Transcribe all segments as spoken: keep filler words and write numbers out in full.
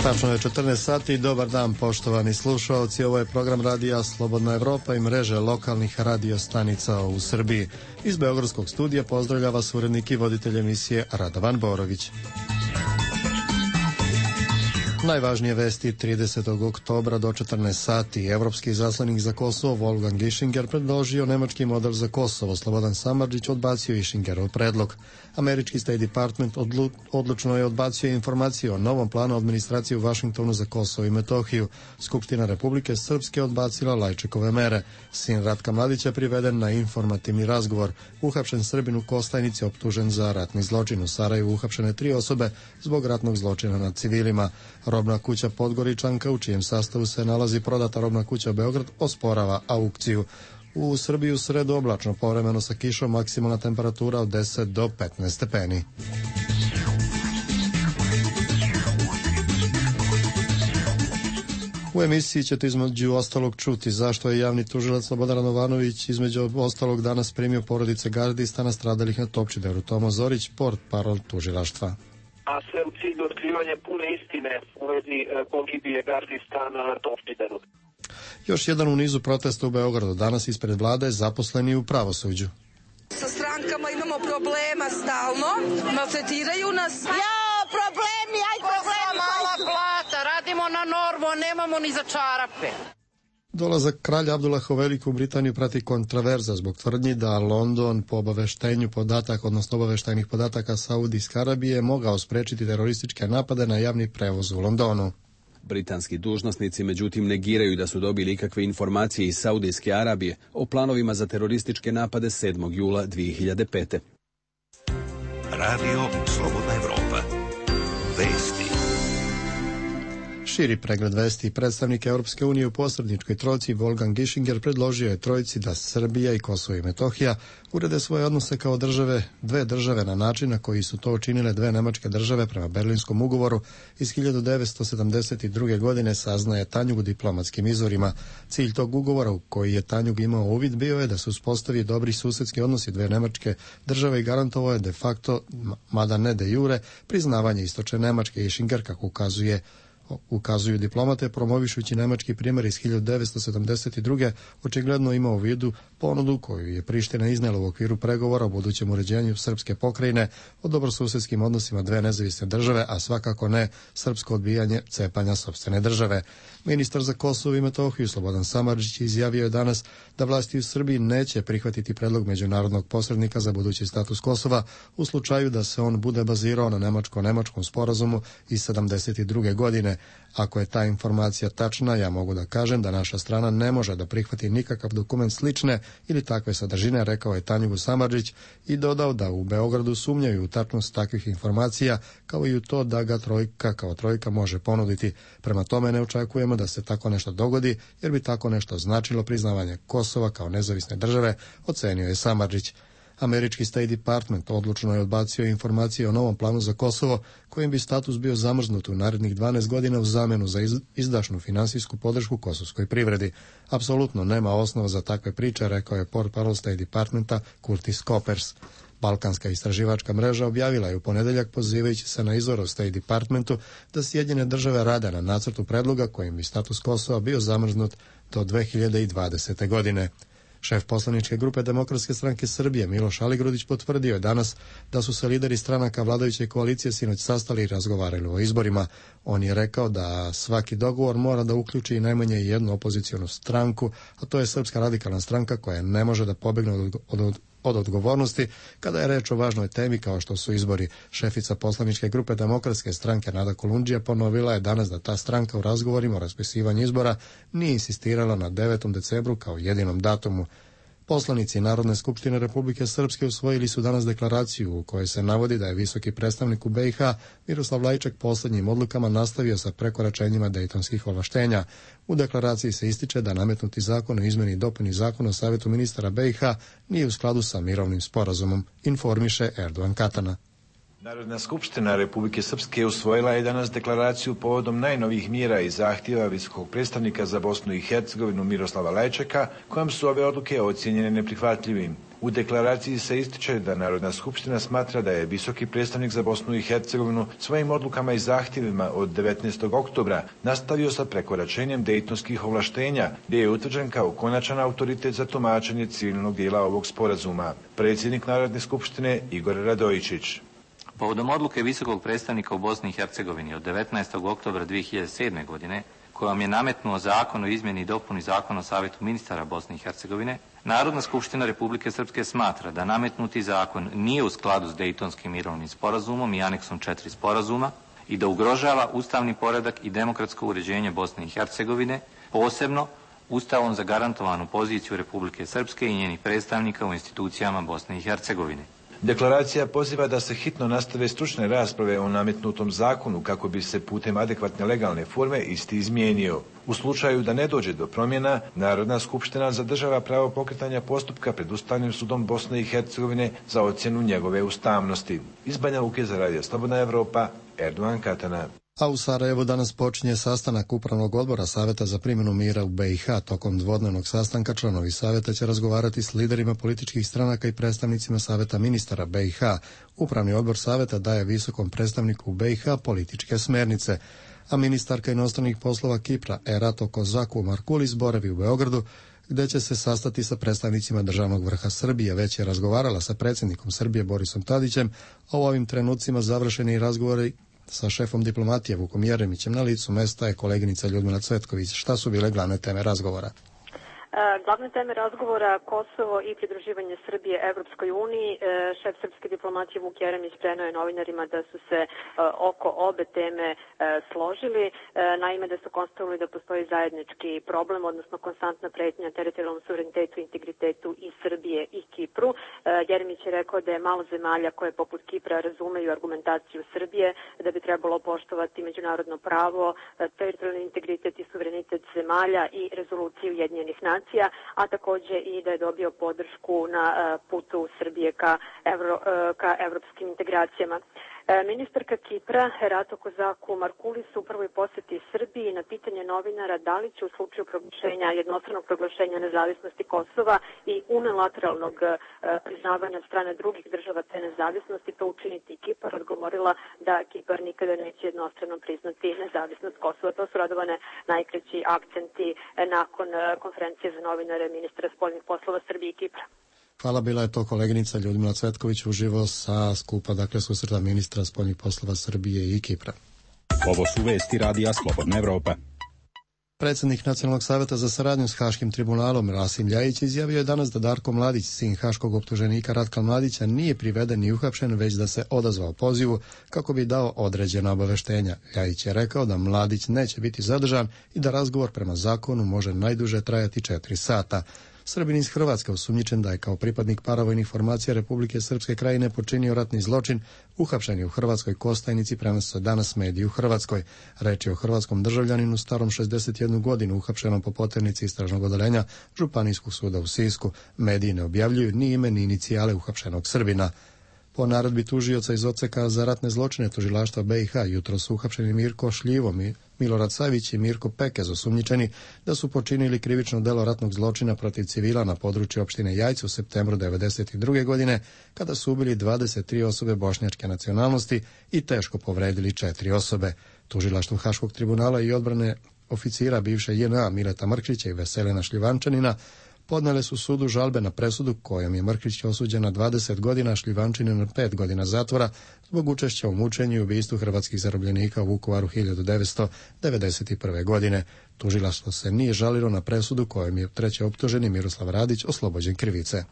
Tačno je četrnaest sati i dobar dan poštovani slušaoci. Ovo je program radija Slobodna Evropa i mreže lokalnih radio stanica u Srbiji. Iz Beogradskog studija pozdravlja vas urednik i voditelj emisije Radovan Borović. Najvažnije vesti tridesetog oktobra do četrnaest sati. Evropski izaslanik za Kosovo Wolfgang Ischinger predložio nemački model za Kosovo. Slobodan Samardžić odbacio Ischingerov predlog. Američki State Department odlu, odlučno je odbacio informaciju o novom planu administracije u Vašingtonu za Kosovo i Metohiju. Skupština Republike Srpske odbacila Lajčekove mere. Sin Ratka Mladića priveden na informativni razgovor. Uhapšen Srbin u Kostajnici optužen za ratni zločin. U Sarajevu uhapšene tri osobe zbog ratnog zločina nad civilima. Robna kuća Podgoričanka, u čijem sastavu se nalazi prodata robna kuća Beograd, osporava aukciju. U Srbiji u sredu oblačno, povremeno sa kišom, maksimalna temperatura od deset do petnaest stepeni. U emisiji ćete između ostalog čuti zašto je javni tužilac Slobodan Radovanović između ostalog danas primio porodice gardista nastradalih na Topčideru. Tomo Zorić, port parol tužilaštva. A sve u cilju otkrivanja pune istine u vezi pogibije gardista na Topčideru. Još jedan u nizu protesta u Beogradu. Danas ispred vlade zaposleni u pravosuđu. Sa strankama imamo problema stalno, maltretiraju nas. Ja, problemi, aj problemi. Mala plata, radimo na normu, nemamo ni za čarape. Dolazak kralja Abdullaha u Veliku Britaniju prati kontraverza zbog tvrdnji da London po obaveštenju podataka, odnosno obaveštajnih podataka Saudijske Arabije, mogao sprečiti terorističke napade na javni prevoz u Londonu. Britanski dužnosnici međutim negiraju da su dobili ikakve informacije iz Saudijske Arabije o planovima za terorističke napade sedmog jula dvije hiljade pete. Radio Slobodna Evropa. Vesti. Širi pregled vesti. Predstavnik Europske unije u posredničkoj trojci Wolfgang Ischinger predložio je trojici da Srbija i Kosovo i Metohija urede svoje odnose kao države, dve države na način na koji su to učinile dve nemačke države prema Berlinskom ugovoru iz hiljadu devetsto sedamdeset druge. godine, saznaje Tanjug u diplomatskim izvorima. Cilj tog ugovora u koji je Tanjug imao uvid bio je da se uspostavi dobri susedski odnosi dve nemačke države i garantovao je de facto, mada ne de jure, priznavanje istočne Nemačke. Ischinger, kako ukazuje ukazuju diplomate, promovišući nemački primjer iz hiljadu devetsto sedamdeset druge. očigledno ima u vidu ponudu koju je Priština iznela u okviru pregovora o budućem uređenju srpske pokrajine o dobrosusedskim odnosima dve nezavisne države, a svakako ne srpsko odbijanje cepanja sopstvene države. Ministar za Kosovo i Metohiju Slobodan Samardžić izjavio je danas da vlasti u Srbiji neće prihvatiti predlog međunarodnog posrednika za budući status Kosova u slučaju da se on bude bazirao na nemačko-nemačkom sporazumu iz sedamdeset druge. godine. Ako je ta informacija tačna, ja mogu da kažem da naša strana ne može da prihvati nikakav dokument slične ili takve sadržine, rekao je Tanjugu Samardžić i dodao da u Beogradu sumnjaju u tačnost takvih informacija, kao i u to da ga trojka kao trojka može ponuditi. Prema tome ne očekujemo da se tako nešto dogodi, jer bi tako nešto značilo priznavanje Kosova kao nezavisne države, ocenio je Samardžić. Američki State Department odlučno je odbacio informacije o novom planu za Kosovo, kojim bi status bio zamrznut u narednih dvanaest godina u zamenu za izdašnu finansijsku podršku kosovskoj privredi. Apsolutno nema osnova za takve priče, rekao je portparol State Departmenta Curtis Coppers. Balkanska istraživačka mreža objavila je u ponedeljak, pozivajući se na izvor u State Departmentu, da Sjedinjene države rade na nacrtu predloga kojim bi status Kosova bio zamrznut do dve hiljade dvadesete. godine. Šef poslaničke grupe Demokratske stranke Srbije Miloš Aligrudić potvrdio je danas da su se lideri stranaka vladajuće koalicije sinoć sastali i razgovarali o izborima. On je rekao da svaki dogovor mora da uključi i najmanje jednu opozicionu stranku, a to je Srpska radikalna stranka koja ne može da pobegne od, od, od odgovornosti kada je reč o važnoj temi kao što su izbori. Šefica poslaničke grupe Demokratske stranke Nada Kolundžija ponovila je danas da ta stranka u razgovorima o raspisivanju izbora nije insistirala na devetom decembru kao jedinom datumu. Poslanici Narodne skupštine Republike Srpske usvojili su danas deklaraciju u kojoj se navodi da je visoki predstavnik u be i ha Miroslav Lajčak poslednjim odlukama nastavio sa prekoračenjima dejtonskih ovlaštenja. U deklaraciji se ističe da nametnuti zakon o izmeni i dopuni zakona o Savetu ministara be i ha nije u skladu sa mirovnim sporazumom, informiše Erdogan Katana. Narodna skupština Republike Srpske usvojila je danas deklaraciju povodom najnovijih mjera i zahtjeva visokog predstavnika za Bosnu i Hercegovinu Miroslava Lajčaka, kojom su ove odluke ocjenjene neprihvatljivim. U deklaraciji se ističe da Narodna skupština smatra da je visoki predstavnik za Bosnu i Hercegovinu svojim odlukama i zahtjevima od devetnaestog oktobra nastavio sa prekoračenjem dejtonskih ovlaštenja, gdje je utvrđen kao konačan autoritet za tumačenje civilnog dijela ovog sporazuma. Predsjednik Narodne skupštine Igor Radojičić. Povodom odluke visokog predstavnika u Bosni i Hercegovini od devetnaestog oktobra dvije hiljade sedme. godine, kojom je nametnuo zakon o izmjeni i dopuni zakona o Savjetu ministara Bosne i Hercegovine, Narodna skupština Republike Srpske smatra da nametnuti zakon nije u skladu s Dejtonskim mirovnim sporazumom i aneksom četiri sporazuma i da ugrožava ustavni poredak i demokratsko uređenje Bosne i Hercegovine, posebno Ustavom zagarantovanu poziciju Republike Srpske i njenih predstavnika u institucijama Bosne i Hercegovine. Deklaracija poziva da se hitno nastave stručne rasprave o nametnutom zakonu kako bi se putem adekvatne legalne forme isti izmijenio. U slučaju da ne dođe do promjena, Narodna skupština zadržava pravo pokretanja postupka pred Ustavnim sudom Bosne i Hercegovine za ocjenu njegove ustavnosti. Iz Banja Luke za Radio Slobodna Evropa, Erdogan Katana. A u Sarajevu danas počinje sastanak Upravnog odbora Saveta za primjenu mira u be i ha. Tokom dvodnevnog sastanka članovi Saveta će razgovarati s liderima političkih stranaka i predstavnicima Saveta ministara be i ha. Upravni odbor Saveta daje visokom predstavniku u be i ha političke smernice, a ministarka inostranih poslova Kipra Erato Kozaku Markulis boravi u Beogradu, gdje će se sastati sa predstavnicima državnog vrha Srbije. Već je razgovarala sa predsjednikom Srbije Borisom Tadićem, a u ovim trenucima završeni razgovori sa šefom diplomatije Vukom Jeremićem na licu mesta je koleginica Ljudmila Cvetković. Šta su bile glavne teme razgovora? Glavne teme razgovora Kosovo i pridruživanje Srbije Evropskoj uniji. Šef srpske diplomatije Vuk Jeremić prenio je novinarima da su se oko obe teme složili. Naime, da su konstatovali da postoji zajednički problem, odnosno konstantna pretnja teritorijalnom suverenitetu i integritetu i Srbije i Kipru. Jeremić je rekao da je malo zemalja koje poput Kipra razumeju argumentaciju Srbije, da bi trebalo poštovati međunarodno pravo, teritorijalni integritet i suverenitet zemalja i rezoluciju Ujedinjenih nacija, a također i da je dobio podršku na putu Srbije ka, evro, ka evropskim integracijama. Ministarka Kipra Erato Kozaku Markulis u prvoj posjeti Srbiji na pitanje novinara da li će u slučaju proglašenja, jednostranog proglašenja nezavisnosti Kosova i unilateralnog priznavanja strane drugih država te nezavisnosti to učiniti i Kipar, odgovorila da Kipar nikada neće jednostrano priznati nezavisnost Kosova. To su Radovane najkraći akcenti nakon konferencije za novinare ministra spoljnih poslova Srbije i Kipra. Hvala, bila je to koleginica Ljudmila Cvetković uživo sa skupa, dakle, susreta ministra spoljnih poslova Srbije i Kipra. Ovo su vesti Radija Slobodna Evropa. Predsjednik Nacionalnog savjeta za saradnju s Haškim tribunalom Rasim Ljajić izjavio je danas da Darko Mladić, sin haškog optuženika Ratka Mladića, nije priveden ni uhapšen, već da se odazvao pozivu kako bi dao određena obaveštenja. Ljajić je rekao da Mladić neće biti zadržan i da razgovor prema zakonu može najduže trajati četiri sata. Srbin iz Hrvatske, osumnjičen da je kao pripadnik paravojnih formacija Republike Srpske Krajine počinio ratni zločin, uhapšen je u Hrvatskoj Kostajnici, prenose danas mediji u Hrvatskoj. Reč je o hrvatskom državljaninu starom šezdeset jednu godinu, uhapšenom po poternici istražnog odeljenja Županijskog suda u Sisku. Mediji ne objavljuju ni ime ni inicijale uhapšenog Srbina. Po naredbi tužioca iz odseka za ratne zločine tužilaštva be i ha jutro su uhapšeni Mirko Šljivo, Milorad Savić i Mirko Pekez, osumnjičeni da su počinili krivično delo ratnog zločina protiv civila na području opštine Jajce u septembru devedeset druge. godine, kada su ubili dvadeset tri osobe bošnjačke nacionalnosti i teško povredili četiri osobe. Tužilaštvo Haškog tribunala i odbrane oficira bivše je en a Mileta Mrkšića i Veselina Šljivančanina podnele su sudu žalbe na presudu kojom je Mrkšić osuđen na dvadeset godina, Šljivančanin na pet godina zatvora zbog učešća u mučenju i ubistvu hrvatskih zarobljenika u Vukovaru hiljadu devetsto devedeset prve. godine. Tužilaštvo se nije žalilo na presudu kojom je treći optuženi Miroslav Radić oslobođen krivice.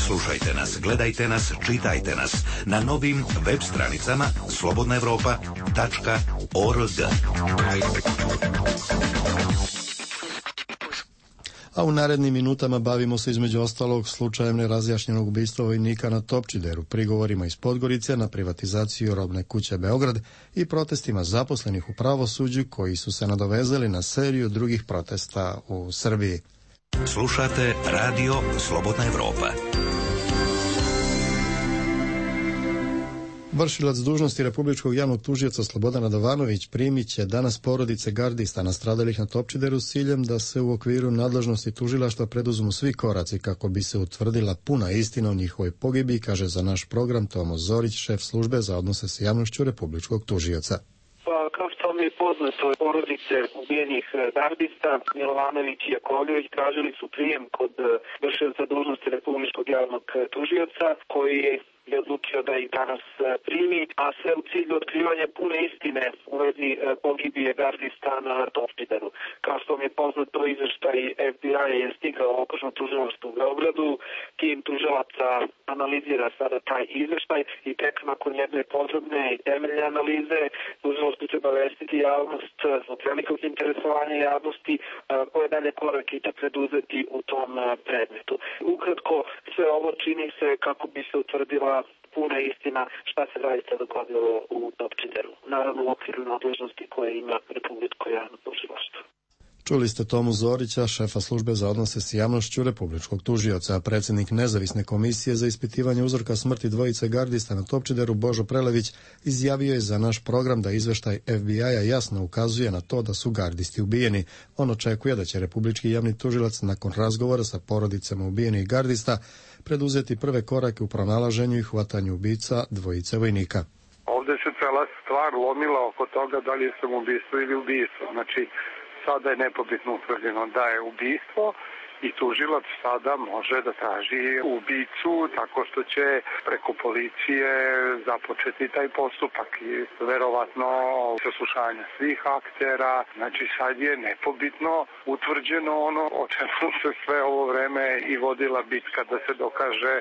Slušajte nas, gledajte nas, čitajte nas na novim web stranicama slobodna evropa tačka org. A u narednim minutama bavimo se između ostalog slučajem nerazjašnjenog ubistva vojnika na Topčideru, prigovorima iz Podgorice na privatizaciju robne kuće Beograd i protestima zaposlenih u pravosuđu koji su se nadovezali na seriju drugih protesta u Srbiji. Slušate Radio Slobodna Evropa. Vršilac dužnosti Republičkog javnog tužioca Slobodan Radovanović primit će danas porodice gardista nastradalih na Topčideru s ciljem da se u okviru nadležnosti tužilaštva preduzmu svi koraci kako bi se utvrdila puna istina o njihovoj pogibiji, kaže za naš program Tomo Zorić, šef službe za odnose s javnošću Republičkog tužioca. Pa, kao što vam je poznato, porodice ubijenih gardista Milovanović i Jakovljević tražili su prijem kod vršioca dužnosti Republičkog javnog tužioca, koji je odlučio da ih danas primi, a sve u cilju otkrivanja pune istine u vezi pogibije gardista na Topčideru. Kao što vam je poznato, izveštaj F B I je stigao u okružno tužilaštvo u Beogradu, tim tužilaca analizira sada taj izveštaj i tek nakon jedne podrobne i temeljne analize tužilaštvo treba vestiti javnost zbog velikog interesovanja javnosti koje dalje korake će preduzeti u tom predmetu. Ukratko, sve ovo čini se kako bi se utvrdila puna istina šta se zaista dogodilo u Topčideru. Naravno u okviru nadležnosti koje ima Republičko javno tužilaštvo. Čuli ste Tomu Zorića, šefa službe za odnose s javnošću Republičkog tužioca. Predsjednik nezavisne komisije za ispitivanje uzroka smrti dvojice gardista na Topčideru Božo Prelević izjavio je za naš program da izveštaj F B I-a jasno ukazuje na to da su gardisti ubijeni. On očekuje da će Republički javni tužilac nakon razgovora sa porodicama ubijenih gardista preduzeti prve korake u pronalaženju i hvatanju ubica dvojice vojnika. Ovdje se cela stvar lomila oko toga da li je samoubistvo ili ubistvo. Znači, sada je nepobitno utvrđeno da je ubistvo i tužilac sada može da traži ubicu tako što će preko policije započeti taj postupak i verovatno saslušanje svih aktera. Znači sad je nepobitno utvrđeno ono o čemu se sve ovo vreme i vodila bitka da se dokaže,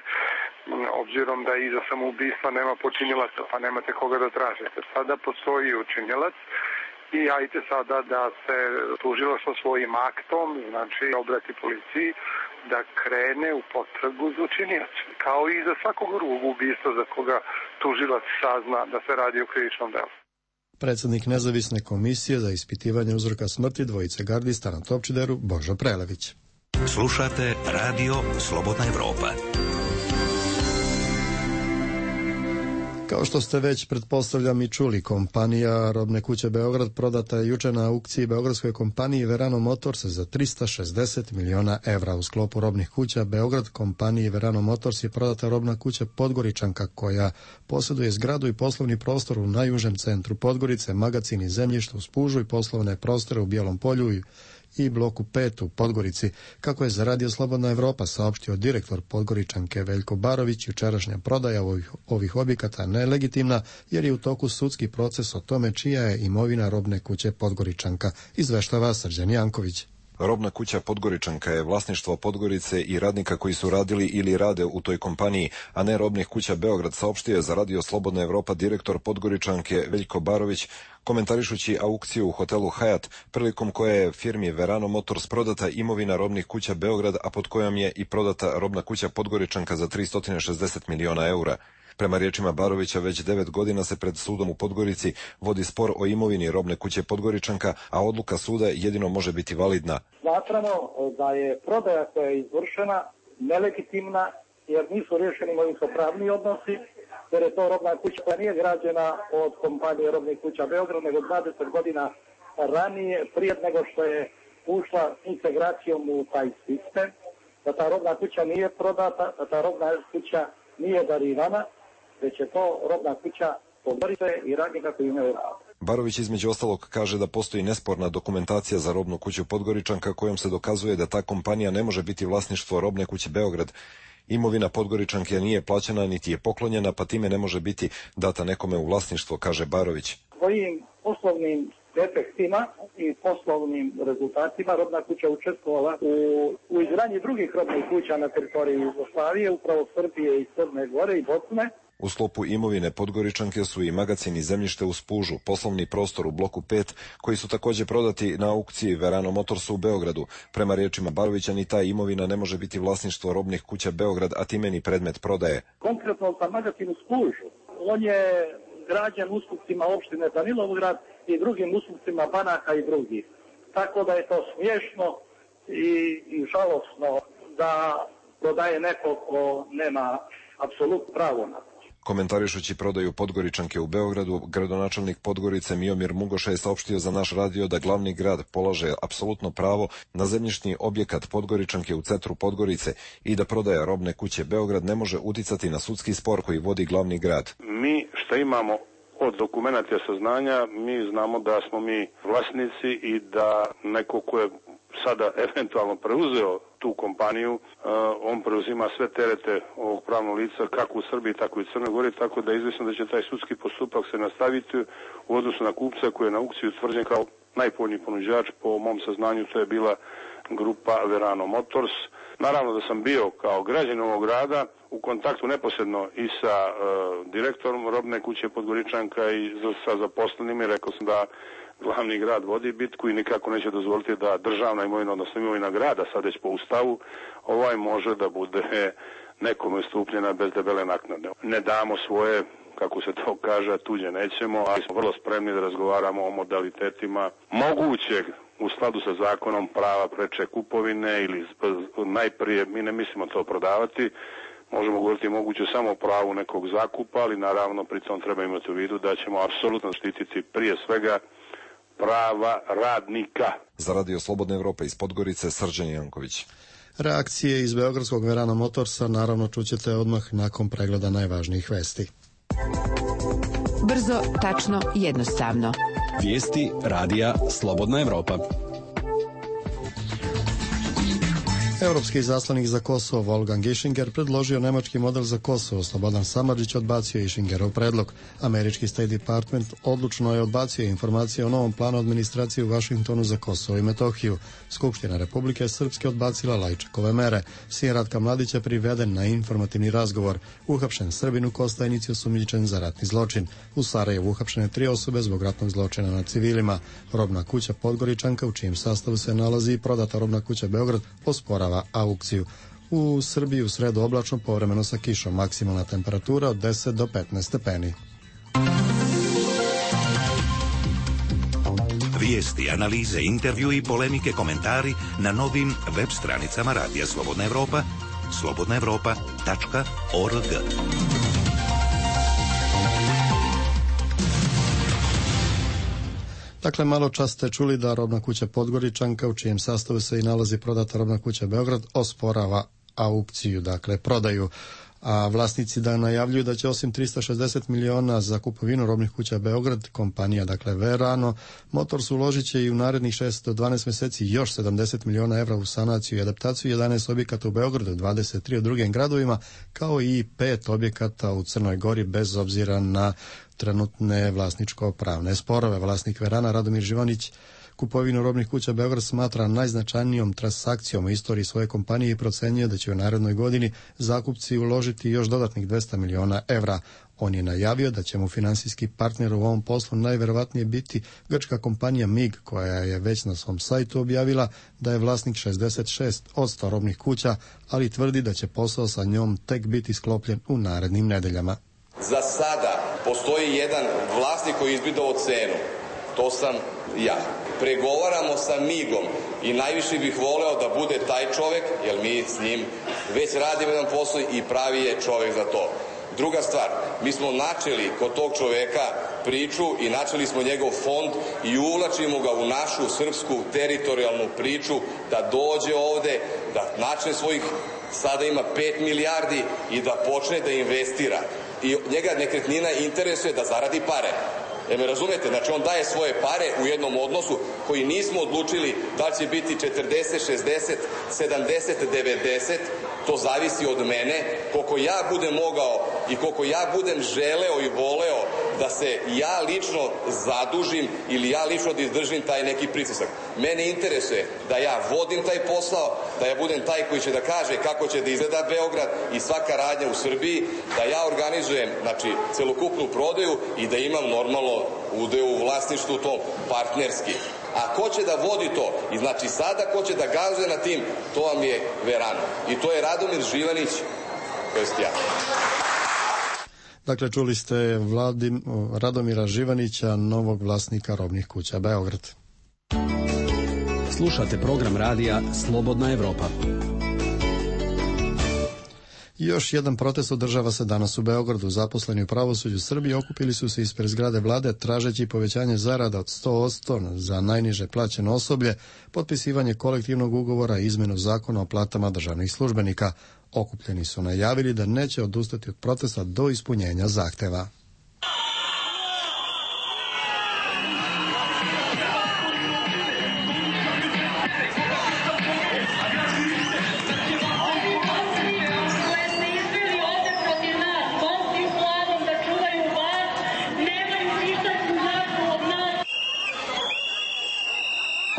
obzirom da iza samoubistva nema počinilaca, pa nemate koga da tražite. Sada postoji učinilac i ajte sada da se tužilaštvo svojim aktom, znači obrati policiji, da krene u potragu za učinioca. Kao i za svakog drugog ubistva za koga tužilac sazna da se radi o krivičnom delu. Predsjednik nezavisne komisije za ispitivanje uzroka smrti dvojice gardista na Topčideru Božo Prelević. Slušate Radio Slobodna Evropa. Kao što ste već, pretpostavljam, i čuli, kompanija Robne kuće Beograd prodata je juče na aukciji beogradskoj kompaniji Verano Motors za trista šezdeset miliona evra. U sklopu Robnih kuća Beograd kompaniji Verano Motors je prodata Robna kuća Podgoričanka, koja posjeduje zgradu i poslovni prostor u najužem centru Podgorice, magacin i zemljište u Spužu i poslovne prostore u Bijelom Polju i i bloku pet u Podgorici. Kako je za Radio Slobodna Evropa saopštio direktor Podgoričanke Veljko Barović, jučerašnja prodaja ovih, ovih objekata nelegitimna jer je u toku sudski proces o tome čija je imovina Robne kuće Podgoričanka, izveštava Srđan Janković. Robna kuća Podgoričanka je vlasništvo Podgorice i radnika koji su radili ili rade u toj kompaniji, a ne Robnih kuća Beograd, saopštio je za Radio Slobodna Evropa direktor Podgoričanke Veljko Barović, komentarišući aukciju u hotelu Hyatt, prilikom koje je firmi Verano Motors prodata imovina Robnih kuća Beograd, a pod kojom je i prodata Robna kuća Podgoričanka za tristo šezdeset miliona eura. Prema riječima Barovića, već devet godina se pred sudom u Podgorici vodi spor o imovini Robne kuće Podgoričanka, a odluka suda jedino može biti validna. Smatramo da je prodaja koja je izvršena nelegitimna jer nisu riješeni imovinsko-pravni odnosi, jer je to robna kuća koja nije građena od kompanije Robnih kuća Beograd, nego dvadeset godina ranije, prije nego što je ušla integracijom u taj sistem, da ta robna kuća nije prodata, da ta robna kuća nije darivana, već je to robna kuća Podgorice i radnika koji imaju rad. Barović između ostalog kaže da postoji nesporna dokumentacija za Robnu kuću Podgoričanka kojom se dokazuje da ta kompanija ne može biti vlasništvo Robne kuće Beograd. Imovina Podgoričanke nije plaćena niti je poklonjena, pa time ne može biti data nekome u vlasništvo, kaže Barović. Svojim poslovnim efektima i poslovnim rezultatima Robna kuća učestvovala u, u izgradnji drugih robnih kuća na teritoriji Jugoslavije, upravo Srbije i Crne Gore i Bosne. U sklopu imovine Podgoričanke su i magacin i zemljište u Spužu, poslovni prostor u bloku pet, koji su također prodati na aukciji Verano Motorsu u Beogradu. Prema riječima Barovića, ni ta imovina ne može biti vlasništvo Robnih kuća Beograd, a time ni predmet prodaje. Konkretno za magacin u Spužu, on je građen ustupcima opštine Danilovgrad i drugim ustupcima banaka i drugih. Tako da je to smiješno i, i žalosno da prodaje neko ko nema apsolutno pravo na to. Komentarišući prodaju Podgoričanke u Beogradu, gradonačelnik Podgorice Miomir Mugoša je saopštio za naš radio da glavni grad polaže apsolutno pravo na zemljišni objekat Podgoričanke u centru Podgorice i da prodaja robne kuće Beograd ne može uticati na sudski spor koji vodi glavni grad. Mi što imamo od dokumenata saznanja, mi znamo da smo mi vlasnici i da neko ko je sada eventualno preuzeo tu kompaniju, on preuzima sve terete ovog pravnog lica kako u Srbiji, tako i u Crnoj Gori, tako da je izvesno da će taj sudski postupak se nastaviti u odnosu na kupca koji je na aukciji utvrđen kao najpovoljniji ponuđač. Po mom saznanju to je bila grupa Verano Motors. Naravno da sam bio kao građanin ovog grada u kontaktu neposredno i sa uh, direktorom robne kuće Podgoričanka i sa zaposlenima i rekao sam da glavni grad vodi bitku i nikako neće dozvoliti da državna imovina, odnosno imovina grada, sad već po ustavu, ovaj može da bude nekome ustupljena bez debele naknade. Ne damo svoje, kako se to kaže, tuđe nećemo, ali smo vrlo spremni da razgovaramo o modalitetima mogućeg u skladu sa zakonom prava preče kupovine ili najprije, mi ne mislimo to prodavati, možemo govoriti moguće samo o pravu nekog zakupa, ali naravno pri tom treba imati u vidu da ćemo apsolutno štititi prije svega prava radnika. Za Radio Slobodna Evropa iz Podgorice, Srđan Janković. Reakcije iz beogradskog Verano Motorsa naravno čućete odmah nakon pregleda najvažnijih vesti. Brzo, tačno, jednostavno. Vijesti Radija Slobodna Evropa. Europski izaslanik za Kosovo Wolfgang Ischinger predložio nemački model za Kosovo. Slobodan Samardžić odbacio Ischingerov predlog. Američki State Department odlučno je odbacio informacije o novom planu administracije u Vašingtonu za Kosovo i Metohiju. Skupština Republike Srpske odbacila Lajčekove mere. Sin Ratka Mladića priveden na informativni razgovor. Uhapšen Srbin u Kostajnici osumnjičen za ratni zločin. U Sarajevu uhapšene tri osobe zbog ratnog zločina nad civilima. Robna kuća Podgoričanka, u čijem sastavu se nalazi i prodata robna kuća Beograd, osporava aukciju. U Srbiji u sredu oblačno, povremeno sa kišom, maksimalna temperatura od deset do petnaest stepeni. Vijesti, analize, intervju i polemike, komentari na novim web stranicama Radija Slobodna Evropa, slobodna evropa tačka org. Dakle, malo čas ste čuli da robna kuća Podgoričanka, u čijem sastavu se i nalazi prodata robna kuća Beograd, osporava aukciju, dakle prodaju. A vlasnici da najavljuju da će osim tristo šezdeset miliona za kupovinu robnih kuća Beograd, kompanija, dakle Verano Motors, uložit će i u narednih šest do dvanaest mjeseci još sedamdeset miliona evra u sanaciju i adaptaciju jedanaest objekata u Beogradu, dvadeset tri u drugim gradovima, kao i pet objekata u Crnoj Gori, bez obzira na trenutne vlasničko-pravne sporove. Vlasnik Verana Radomir Živanić kupovinu robnih kuća Beograd smatra najznačajnijom transakcijom u istoriji svoje kompanije i procenjuje da će u narednoj godini zakupci uložiti još dodatnih dvesta miliona evra. On je najavio da će mu finansijski partner u ovom poslu najverovatnije biti grčka kompanija M I G, koja je već na svom sajtu objavila da je vlasnik šezdeset šest posto robnih kuća, ali tvrdi da će posao sa njom tek biti sklopljen u narednim nedeljama. Za sada postoji jedan vlasnik koji je izbidao cenu. To sam ja. Pregovaramo sa M I G-om i najviše bih voleo da bude taj čovek, jer mi s njim već radimo jedan posao i pravi je čovek za to. Druga stvar, mi smo načeli kod tog čoveka priču i načeli smo njegov fond i uvlačimo ga u našu srpsku teritorijalnu priču da dođe ovde, da načne svojih, sada ima pet milijardi i da počne da investira. I njega nekretnina interesuje da zaradi pare. E me razumete, znači on daje svoje pare u jednom odnosu koji nismo odlučili da će biti četrdeset, šezdeset, sedamdeset, devedeset, to zavisi od mene, koliko ja budem mogao i koliko ja budem želeo i voleo da se ja lično zadužim ili ja lično da izdržim taj neki pritisak. Mene interesuje da ja vodim taj posao, da ja budem taj koji će da kaže kako će da izgleda Beograd i svaka radnja u Srbiji, da ja organizujem, znači, celokupnu prodaju i da imam normalno udeo u vlasništvu tom, partnerski. A ko će da vodi to? I znači sada ko će da gazuje na tim, to vam je Verano. I to je Radomir Živanić, to jest ja. Dakle, čuli ste Vladim, Radomira Živanića, novog vlasnika robnih kuća Beograd. Slušate program radija Slobodna Evropa. Još jedan protest održava se danas u Beogradu. Zaposleni u pravosuđu Srbije okupili su se ispred zgrade vlade tražeći povećanje zarada od sto posto za najniže plaćeno osoblje, potpisivanje kolektivnog ugovora i izmenu zakona o platama državnih službenika. Okupljeni su najavili da neće odustati od protesta do ispunjenja zahteva.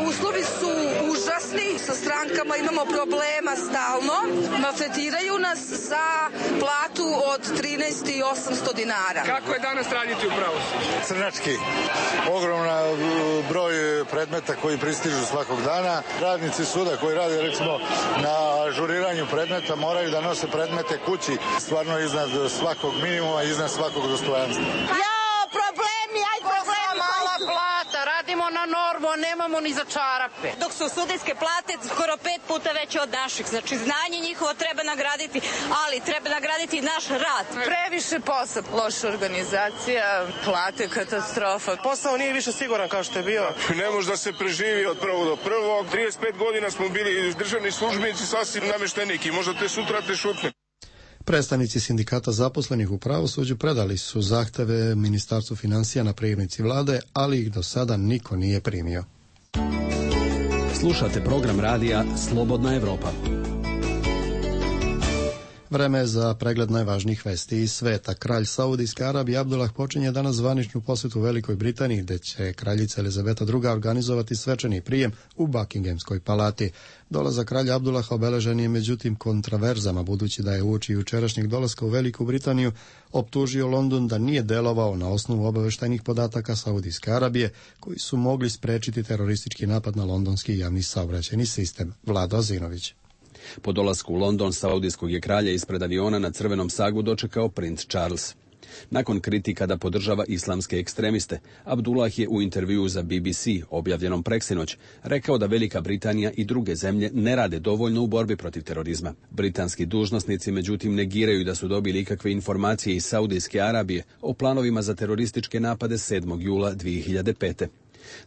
Uslovi su užasni, sa strankama imamo problema stalno, maltretiraju nas za platu od trinaest hiljada osamsto dinara. Kako je danas raditi u pravosuđu? Crnački, ogromna broj predmeta koji pristižu svakog dana. Radnici suda koji rade recimo na ažuriranju predmeta moraju da nose predmete kući, stvarno iznad svakog minimuma, iznad svakog dostojanstva. Ja, problemi, aj problemi. Mala plata, radimo na normu, a nemamo ni za čarape. Dok su sudijske plate skoro pet puta veće od naših. Znači, znanje njihovo treba nagraditi, ali treba nagraditi i naš rad. Previše posla, loša organizacija, plate, katastrofa. Posao nije više siguran kao što je bio. Ne može da se preživi od prvog do prvog. trideset pet godina smo bili državni službenici, sasvim namešteniki. Možda te sutra te šutne. Predstavnici sindikata zaposlenih u pravosuđu predali su zahteve Ministarstvu financija na prijemnici vlade, ali ih do sada niko nije primio. Slušate program radija Slobodna Evropa. Vreme je za pregled najvažnijih vesti iz sveta. Kralj Saudijske Arabije Abdullah počinje danas zvaničnu posjetu Velikoj Britaniji, gde će kraljica Elizabeta druga organizovati svečani prijem u Buckinghamskoj palati. Dolazak kralja Abdullaha obeležen je međutim kontraverzama, budući da je uoči jučerašnjeg dolaska u Veliku Britaniju optužio London da nije delovao na osnovu obaveštajnih podataka Saudijske Arabije, koji su mogli sprečiti teroristički napad na londonski javni saobraćajni sistem. Vlado Azinović. Po dolasku u London saudijskog je kralja ispred aviona na crvenom sagu dočekao princ Charles. Nakon kritika da podržava islamske ekstremiste, Abdullah je u intervjuu za B B C, objavljenom preksinoć, rekao da Velika Britanija i druge zemlje ne rade dovoljno u borbi protiv terorizma. Britanski dužnosnici međutim negiraju da su dobili ikakve informacije iz Saudijske Arabije o planovima za terorističke napade sedmog jula dvije hiljade pete.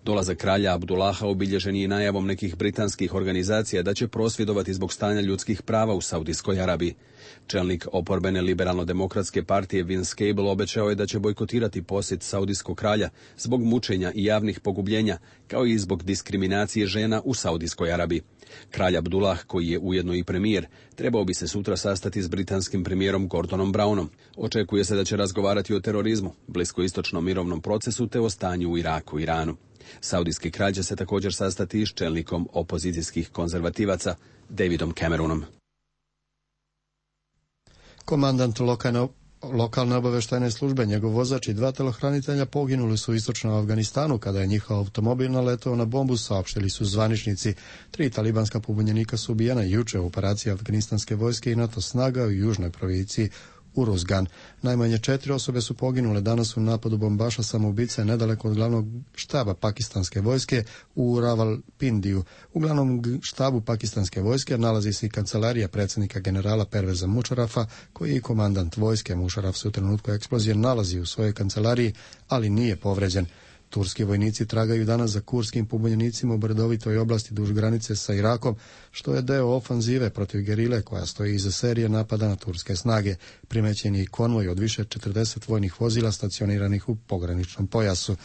Dolazak kralja Abdullaha obilježen je najavom nekih britanskih organizacija da će prosvjedovati zbog stanja ljudskih prava u Saudijskoj Arabiji. Čelnik oporbene liberalno-demokratske partije Vince Cable obećao je da će bojkotirati posjet saudijskog kralja zbog mučenja i javnih pogubljenja, kao i zbog diskriminacije žena u Saudijskoj Arabiji. Kralj Abdullah, koji je ujedno i premijer, trebao bi se sutra sastati s britanskim premijerom Gordonom Brownom. Očekuje se da će razgovarati o terorizmu, bliskoistočnom mirovnom procesu te o stanju u Iraku i Iranu. Saudijski kralj će se također sastati s čelnikom opozicijskih konzervativaca Davidom Cameronom. Komandant lokalne, lokalne obaveštajne službe, njegov vozač i dva telohranitelja poginuli su u istočnom Afganistanu kada je njihov automobil naletao na bombu, saopštili su zvaničnici. Tri talibanska pobunjenika su ubijena juče u operaciji afganistanske vojske i NATO snaga u južnoj provinciji Uruzgan. Najmanje četiri osobe su poginule danas u napadu bombaša samoubice nedaleko od glavnog štaba pakistanske vojske u Ravalpindiju. U glavnom štabu pakistanske vojske nalazi se i kancelarija predsjednika generala Perveza Mušarafa, koji je komandant vojske. Mušaraf se u trenutku eksplozije nalazi u svojoj kancelariji, ali nije povređen. Turski vojnici tragaju danas za kurskim pobunjenicima u brdovitoj oblasti duž granice sa Irakom, što je deo ofanzive protiv gerile koja stoji iza serije napada na turske snage. Primećen je i konvoj od više četrdeset vojnih vozila stacioniranih u pograničnom pojasu.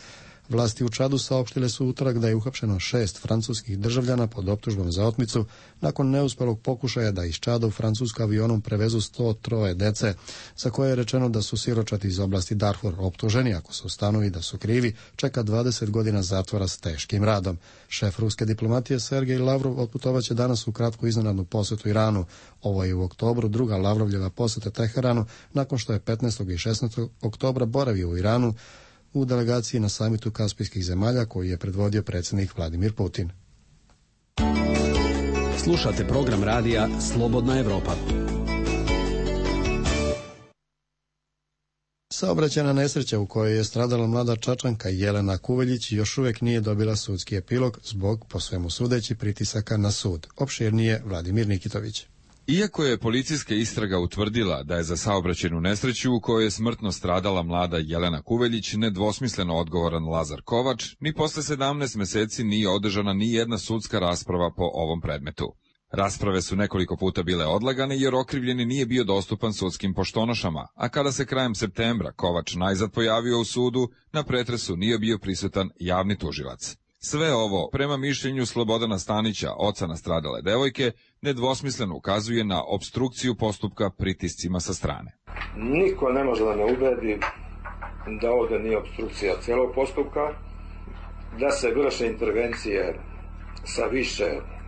Vlasti u Čadu saopštile su utorak da je uhapšeno šest francuskih državljana pod optužbom za otmicu nakon neuspelog pokušaja da iz Čada u Francusku avionom prevezu sto tri dece, za koje je rečeno da su siročati iz oblasti Darfur. Optuženi, ako se ustanovi da su krivi, čeka dvadeset godina zatvora s teškim radom. Šef ruske diplomatije Sergej Lavrov otputovaće danas u kratku iznenadnu posjetu Iranu. Ovo je u oktobru druga Lavrovljeva posjeta Teheranu, nakon što je petnaestog i šesnaestog oktobra boravio u Iranu u delegaciji na samitu Kaspijskih zemalja koji je predvodio predsjednik Vladimir Putin. Slušate program radija Slobodna Evropa. Saobraćajna nesreća u kojoj je stradala mlada Čačanka Jelena Kuveljić još uvijek nije dobila sudski epilog zbog, po svemu sudeći, pritisaka na sud. Opširnije Vladimir Nikitović. Iako je policijska istraga utvrdila da je za saobraćajnu nesreću u kojoj je smrtno stradala mlada Jelena Kuveljić nedvosmisleno odgovoran Lazar Kovač, ni posle sedamnaest meseci nije održana ni jedna sudska rasprava po ovom predmetu. Rasprave su nekoliko puta bile odlagane jer okrivljeni nije bio dostupan sudskim poštonošama, a kada se krajem septembra Kovač najzad pojavio u sudu, na pretresu nije bio prisutan javni tužilac. Sve ovo, prema mišljenju Slobodana Stanića, oca nastradale devojke, nedvosmisleno ukazuje na opstrukciju postupka pritiscima sa strane. Niko ne može da me ubedi da ovde nije opstrukcija celog postupka, da se vrše intervencije sa više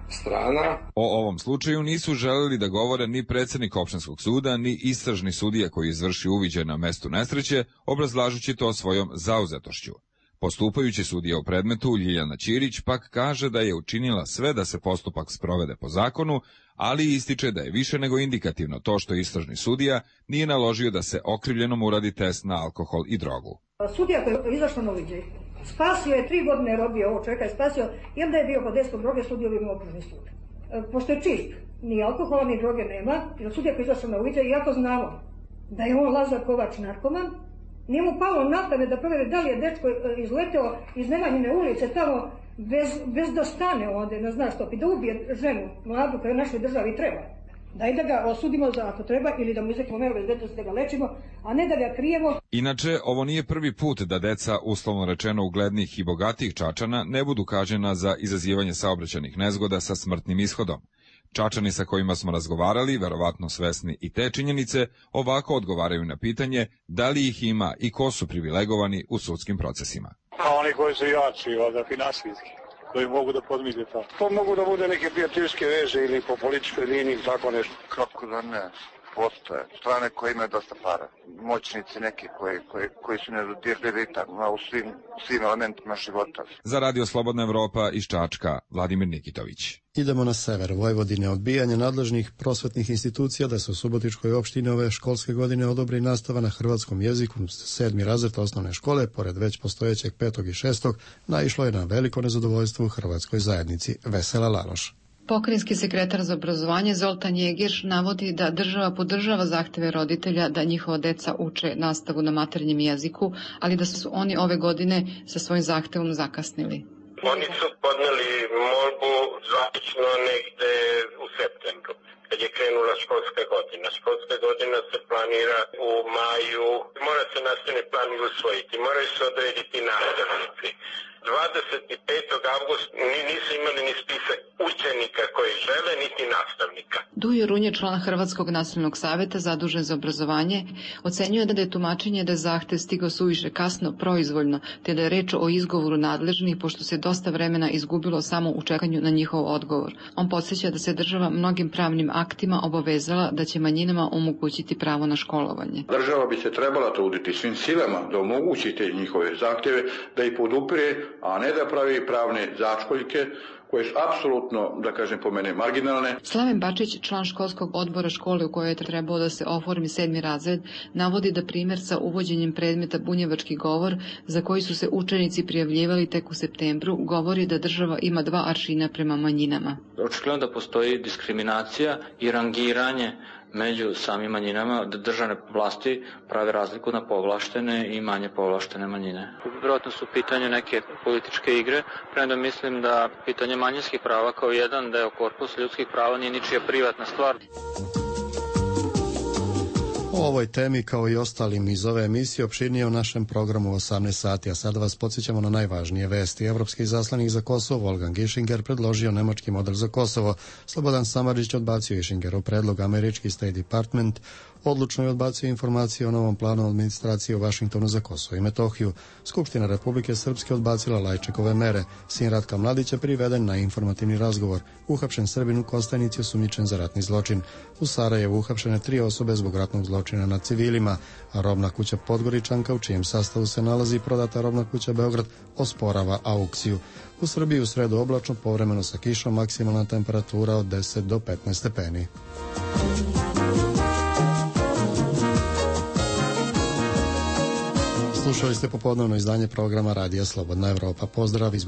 strana. O ovom slučaju nisu želeli da govore ni predsednik opštinskog suda, ni istražni sudija koji izvrši uviđaj na mestu nesreće, obrazlažući to svojom zauzetošću. Postupajući sudija u predmetu, Ljiljana Ćirić, pak kaže da je učinila sve da se postupak sprovede po zakonu, ali ističe da je više nego indikativno to što istražni sudija nije naložio da se okrivljenom uradi test na alkohol i drogu. Sudija koji je izašao na uviđaj, spasio je tri godine robio ovo čovjeka, je spasio, jer da je bio pod dejstvom droge, sudio bi imao okružni sud. Pošto je čist, ni alkohola ni droge nema, jer sudija koji je izašao na uviđaj, iako znamo da je on Lazar Kovač narkoman, nije mu palo na pamet da proveri da li je dečko izleteo iz Nemanjine ulice tamo bez, bez da stane ovde, ne zna što, i da ubije ženu, mladu koja u našoj državi treba. Daj da ga osudimo za ako treba ili da mu izrekimo meru bezbednosti da ga lečimo, a ne da ga krijemo. Inače, ovo nije prvi put da deca, uslovno rečeno uglednih i bogatih Čačana, ne budu kažnjena za izazivanje saobraćajnih nezgoda sa smrtnim ishodom. Čačani sa kojima smo razgovarali, verovatno svesni i te činjenice, ovako odgovaraju na pitanje da li ih ima i ko su privilegovani u sudskim procesima. A oni koji su jači, valjda finansijski, koji mogu da podmire to. To mogu da bude neke prijateljske veze ili po političkoj liniji, tako nešto. Kako da ne? Postoje strane koje imaju dosta para. Moćnici neki koji, koji, koji su nedodirljivi u svim, svim elementima života. Za Radio Slobodna Evropa iz Čačka, Vladimir Nikitović. Idemo na sever Vojvodine. Odbijanje nadležnih prosvetnih institucija da se u Subotičkoj opštini ove školske godine odobri nastava na hrvatskom jeziku sedmi razred osnovne škole, pored već postojećeg petog i šestog, naišlo je na veliko nezadovoljstvo u hrvatskoj zajednici. Vesela Laloš. Pokrajinski sekretar za obrazovanje Zoltan Jegiš navodi da država podržava zahteve roditelja da njihova deca uče nastavu na maternjem jeziku, ali da su oni ove godine sa svojim zahtevom zakasnili. Oni su podneli molbu zvanično negde u septembru, kad je krenula školska godina. Školska godina se planira u maju, mora se nastavni plan usvojiti, moraju se odrediti nastavnici. dvadeset petog avgusta nisu imali ni spisak učenika koji žele, niti nastavnika. Dujo Runje, član Hrvatskog nacionalnog saveta zadužen za obrazovanje, ocenjuje da je tumačenje da je zahtev stigao suviše kasno, proizvoljno, te da je reč o izgovoru nadležnih, pošto se dosta vremena izgubilo samo u čekanju na njihov odgovor. On podsjeća da se država mnogim pravnim aktima obavezala da će manjinama omogućiti pravo na školovanje. Država bi se trebala truditi svim silama da omogući te njihove zahteve, da ih podupire, a ne da pravi pravne začkoljke koje su apsolutno, da kažem po mene, marginalne. Slaven Bačić, član školskog odbora škole u kojoj je trebao da se oformi sedmi razred, navodi da primjer sa uvođenjem predmeta bunjevački govor, za koji su se učenici prijavljivali tek u septembru, govori da država ima dva aršina prema manjinama. Očigledno da postoji diskriminacija i rangiranje među samim manjinama, da državne vlasti prave razliku na povlaštene i manje povlaštene manjine. Vjerojatno su pitanje neke političke igre, premda mislim da pitanje manjinskih prava kao jedan deo korpusa ljudskih prava nije ničija privatna stvar. O ovoj temi kao i ostalim iz ove emisije opširnije u našem programu u osamnaest sati, a sada vas podsjećamo na najvažnije vesti. Evropski izaslanik za Kosovo Wolfgang Ischinger predložio nemački model za Kosovo. Slobodan Samardžić odbacio Ischingerov predlog. Američki State Department odlučno je odbacio informacije o novom planu administracije u Vašingtonu za Kosovo i Metohiju. Skupština Republike Srpske odbacila Lajčekove mere. Sin Ratka Mladića priveden na informativni razgovor. Uhapšen Srbin u Kostajnici osumnjičen za ratni zločin. U Sarajevu uhapšene tri osobe zbog ratnog zločina nad civilima, a robna kuća Podgoričanka, u čijem sastavu se nalazi prodata robna kuća Beograd, osporava aukciju. U Srbiji u sredu oblačno, povremeno sa kišom, maksimalna temperatura od deset do petnaest stepeni. Slušali ste popodnevno izdanje programa Radija Slobodna Evropa. Pozdrav iz